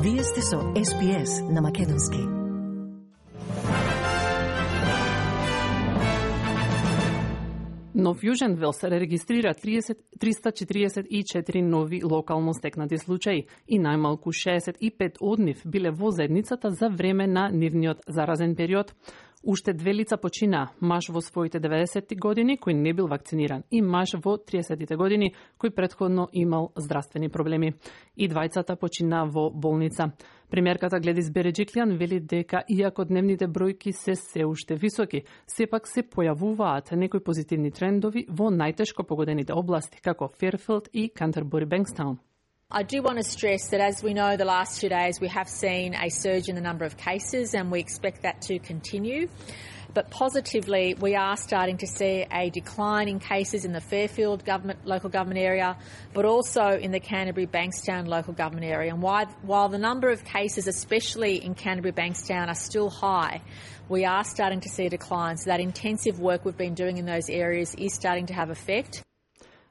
Вие сте со SPS на Македонски. Нов Јужен Велс регистрира 344 нови локално стекнати случаи и најмалку 65 од нив биле во заедницата за време на нивниот заразен период. Уште две лица почина, маж во своите 90 години кој не бил вакциниран и маж во 30 години кој претходно имал здравствени проблеми. И двајцата почина во болница. Премиерката Гледис Береджиклијан вели дека иако дневните бројки се уште високи, сепак се појавуваат некои позитивни трендови во најтешко погодените области како Ферфилд и Кантербури Бенкстаун. I do want to stress that as we know the last 2 days we have seen a surge in the number of cases and we expect that to continue. But positively we are starting to see a decline in cases in the Fairfield local government area, but also in the Canterbury Bankstown local government area. And while the number of cases, especially in Canterbury Bankstown, are still high, we are starting to see a decline. So that intensive work we've been doing in those areas is starting to have effect.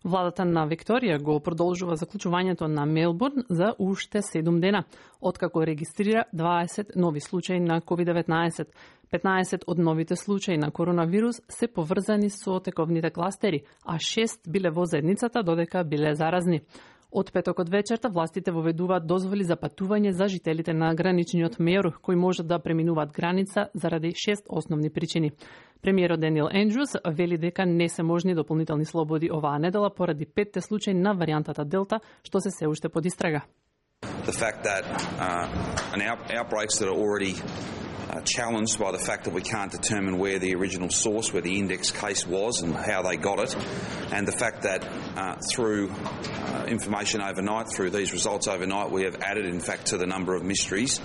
Владата на Викторија го продолжува заклучувањето на Мелбурн за уште 7 дена, откако регистрира 20 нови случаи на COVID-19. 15 од новите случаи на коронавирус се поврзани со тековните кластери, а 6 биле во заедницата додека биле заразни. Од петокот вечерта властите воведуваат дозволи за патување за жителите на граничниот мејор, кои можат да преминуваат граница заради 6 основни причини. Премиерот Даниел Ендрюс вели дека не се можни дополнителни слободи оваа недела поради 5 случаи на варијантата Делта, што се уште под истрага. The fact that outbreaks that are already challenged by the fact that we can't determine where the original source, where the index case was and how they got it, and the fact that through information overnight, through these results overnight, we have added in fact to the number of mysteries.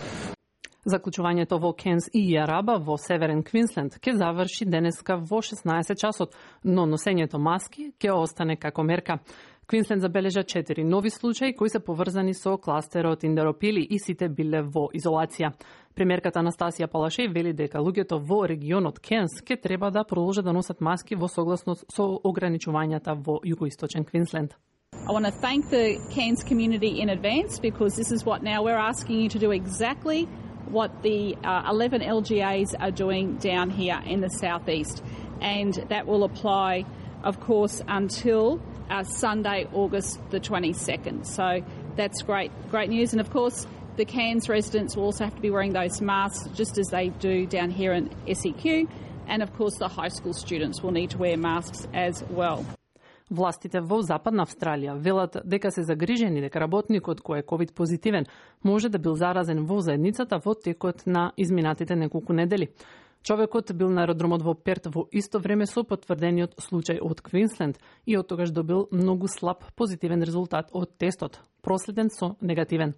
Заклучувањето во Кенс и Јараба во Северен Квинсленд ќе заврши денеска во 16 часот, но носењето маски ќе остане како мерка. Квинсленд забележа 4 нови случаи кои се поврзани со кластерот Индеропили и сите биле во изолација. Премиерката Анастасија Палашеј вели дека луѓето во регионот Кенс ќе треба да продолжат да носат маски во согласност со ограничувањата во југоисточен Квинсленд. I want to thank the Cairns community in advance because this is what now we're asking you to do exactly what the 11 LGAs are doing down here in the southeast, and that will apply, of course, until Sunday, August the 22nd. So that's great news, and of course the Cairns residents will also have to be wearing those masks just as they do down here in SEQ, and of course the high school students will need to wear masks as well. Властите во Западна Австралија велат дека се загрижени дека работникот кој е ковид позитивен може да бил заразен во заедницата во текот на изминатите неколку недели. Човекот бил на аеродромот во Перт во исто време со потврдениот случај од Квинсленд и од тогаш добил многу слаб позитивен резултат од тестот, проследен со негативен.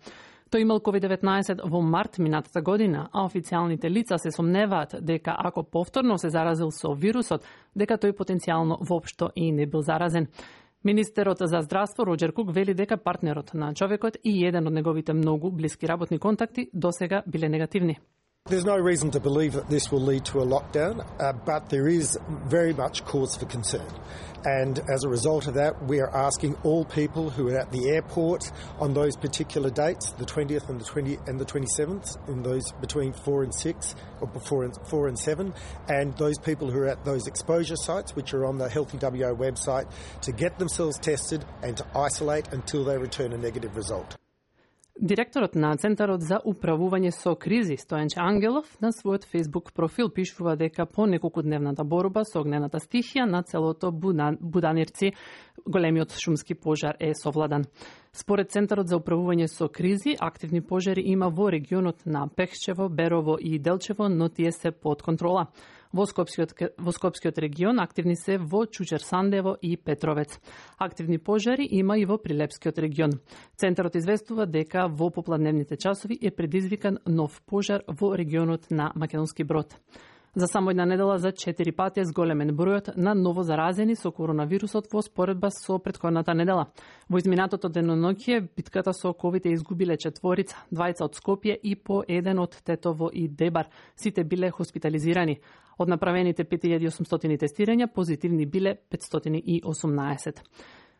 Тој имал COVID-19 во март минатата година, а официјалните лица се сомневаат дека ако повторно се заразил со вирусот, дека тој потенцијално воопшто и не бил заразен. Министерот за здравство Роџер Кук вели дека партнерот на човекот и еден од неговите многу блиски работни контакти досега биле негативни. There's no reason to believe that this will lead to a lockdown, but there is very much cause for concern. And as a result of that, we are asking all people who are at the airport on those particular dates, the 20th and the 27th, in those between 4 and 6, or 4 and 7, and those people who are at those exposure sites, which are on the Healthy WA website, to get themselves tested and to isolate until they return a negative result. Директорот на Центарот за управување со кризи, Стојанче Ангелов, на својот Facebook профил пишува дека по неколкудневната борба со огнената стихија на целото Буданирци, големиот шумски пожар е совладан. Според Центарот за управување со кризи, активни пожари има во регионот на Пехчево, Берово и Делчево, но тие се под контрола. Во Скопскиот регион активни се во Чучер Сандево и Петровец. Активни пожари има и во Прилепскиот регион. Центарот известува дека во попладневните часови е предизвикан нов пожар во регионот на Македонски Брод. За само една недела за 4 пати е зголемен бројот на ново заразени со коронавирусот во споредба со претходната недела. Во изминатото деноноќие битката со ковид е изгубиле 4, 2 од Скопје и по 1 од Тетово и Дебар. Сите биле хоспитализирани. Од направените 5800 тестирања, позитивни биле 518.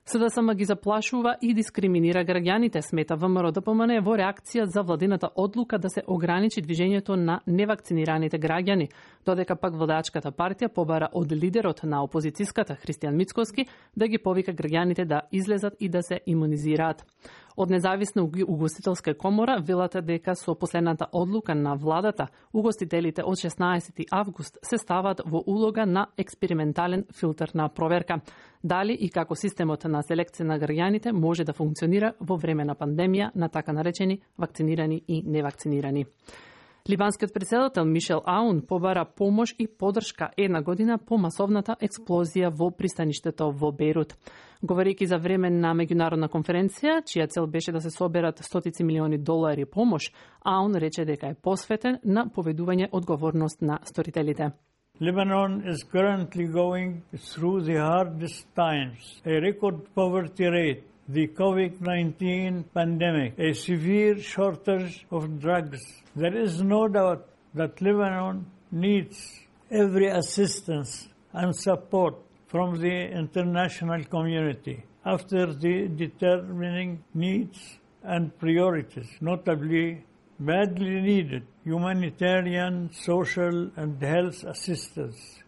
СДСМ ги заплашува и дискриминира граѓаните, смета ВМРО ДПМН во реакција за владината одлука да се ограничи движењето на невакцинираните граѓани, додека пак владачката партија побара од лидерот на опозицијската Христијан Мицкоски да ги повика граѓаните да излезат и да се имунизираат. Од независна угостителска комора велат дека со последната одлука на владата, угостителите од 16 август се стават во улога на експериментален филтер на проверка. Дали и како системот на селекција на граѓаните може да функционира во време на пандемија на така наречени вакцинирани и невакцинирани. Либанскиот претседател Мишел Аун побара помош и подршка една година по масовната експлозија во пристаништето во Бејрут. Говорејќи за време на меѓународна конференција, чија цел беше да се соберат стотици милиони долари помош, Аун рече дека е посветен на поведување одговорност на сторителите. Lebanon is currently going through the hardest times, a record poverty rate, the COVID-19 pandemic, a severe shortage of drugs. There is no doubt that Lebanon needs every assistance and support from the international community after the determining needs and priorities, notably badly needed humanitarian, social and health assistance.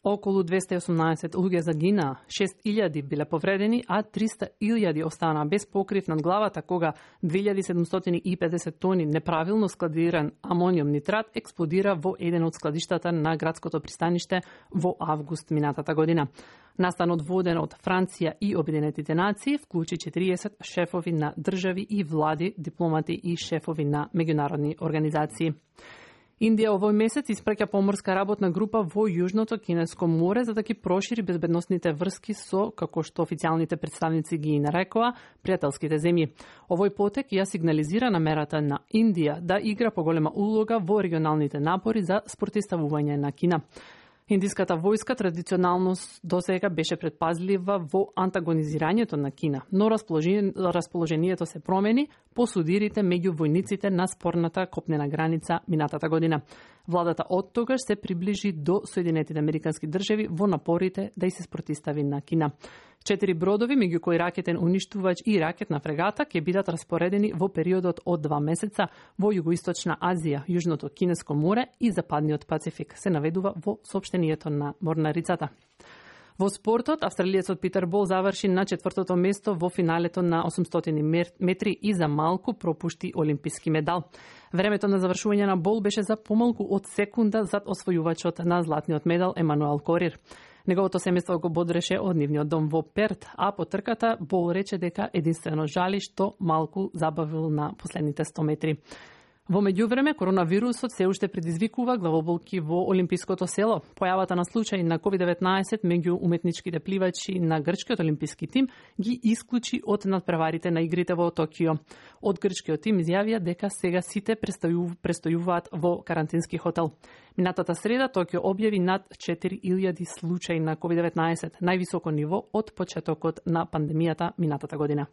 Околу 218 луѓе загинаа, 6.000 биле повредени, а 300.000 останаа без покрив над главата кога 2750 тони неправилно складиран амониум нитрат експлодира во еден од складиштата на градското пристаниште во август минатата година. Настанот воден од Франција и Обединетите нации вклучи 40 шефови на држави и влади, дипломати и шефови на меѓународни организации. Индија овој месец испраќа поморска работна група во Јужното Кинеско море за да ги прошири безбедносните врски со, како што официјалните представници ги нарекоа, пријателските земји. Овој потек ја сигнализира намерата на Индија да игра поголема улога во регионалните напори за спротивставување на Кина. Индиската војска традиционално досега беше предпазлива во антагонизирањето на Кина, но расположението се промени по судирите меѓу војниците на спорната копнена граница минатата година. Владата од тогаш се приближи до Соединетите Американски држави во напорите да и се спротивстави на Кина. 4 бродови, меѓу кои ракетен уништувач и ракетна фрегата, ќе бидат распоредени во периодот од 2 месеца во Југоисточна Азија, Јужното Кинеско море и Западниот Пацифик, се наведува во соопштението на Морнарицата. Во спортот, австралиецот Питер Бол заврши на 4-то место во финалето на 800 метри и за малку пропушти олимписки медал. Времето на завршување на Бол беше за помалку од секунда зад освојувачот на златниот медал Емануел Корир. Неговото семејство го бодреше од нивниот дом во Перт, а по трката Бол рече дека единствено жали што малку забавил на последните 100 метри. Во меѓувреме, коронавирусот се уште предизвикува главоболки во Олимпиското село. Појавата на случај на COVID-19 меѓу уметничките пливачи на грчкиот олимписки тим ги исклучи од надпреварите на игрите во Токио. Од грчкиот тим изјавија дека сега сите престојуваат во карантински хотел. Минатата среда Токио објави над 4000 случаи на COVID-19, највисоко ниво од почетокот на пандемијата минатата година.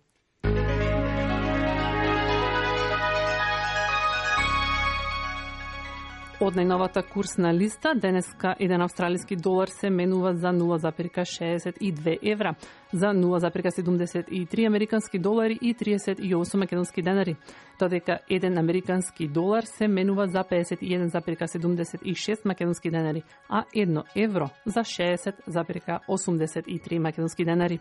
Од најновата курсна листа, денеска еден австралиски долар се менува за 0,62 евра, за 0,73 американски долари и 38 македонски денари, додека еден американски долар се менува за 51,76 македонски денари, а 1 евро за 60,83 македонски денари.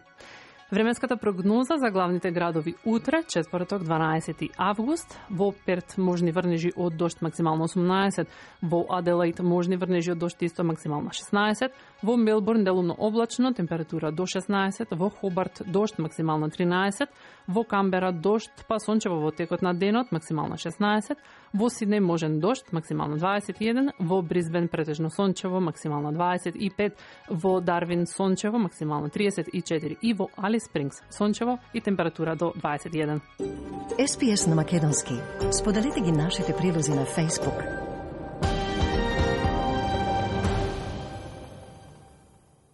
Временската прогноза за главните градови утре, четврток 12 август, во Перт можни врнежи од дожд максимално 18, во Аделаид можни врнежи од дожд исто максимално 16, во Мелбурн делумно облачно, температура до 16, во Хобарт дожд максимално 13, во Камбера дожд па сончево во текот на денот максимално 16, во Сиднеј можен дожд максимално 21, во Брисбен претежно сончево максимално 25, во Дарвин сончево максимално 34 и во Алис Спрингс сончево и температура до 21. SPS на македонски. Споделете ги нашите прилози на Facebook,